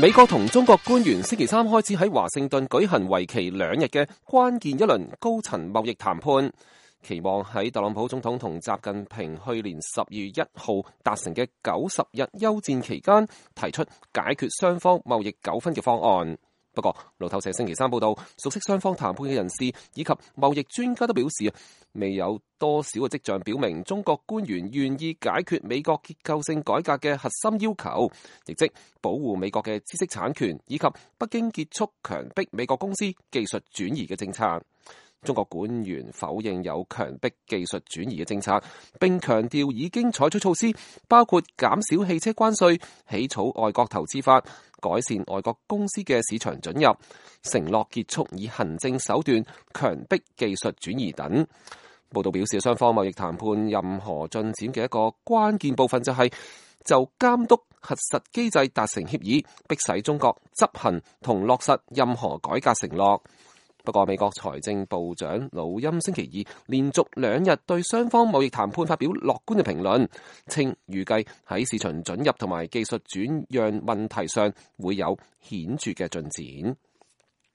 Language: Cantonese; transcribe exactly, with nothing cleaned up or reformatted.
美國同中國官員星期三開始喺華盛頓舉行為期兩日嘅關鍵一輪高層貿易談判，期望喺特朗普總統同習近平去年十二月一號達成嘅九十日休戰期間提出解決雙方貿易糾紛嘅方案。不過，路透社星期三報道，熟悉雙方談判嘅人士以及貿易專家都表示，未有多少嘅跡象表明中國官員願意解決美國結構性改革嘅核心要求，亦即保護美國嘅知識產權以及北京結束強迫美國公司技術轉移嘅政策。中國官員否認有強迫技術轉移嘅政策，並強調已經採取措施，包括減少汽車關稅、起草外國投資法、改善外國公司嘅市場准入、承諾結束以行政手段強迫技術轉移等。報道表示，雙方貿易談判任何進展嘅一個關鍵部分就係就監督核實機制達成協議，迫使中國執行同落實任何改革承諾。不過，美國財政部長魯欽星期二連續兩日對雙方貿易談判發表樂觀嘅評論，稱預計喺市場准入同埋技術轉讓問題上會有顯著嘅進展。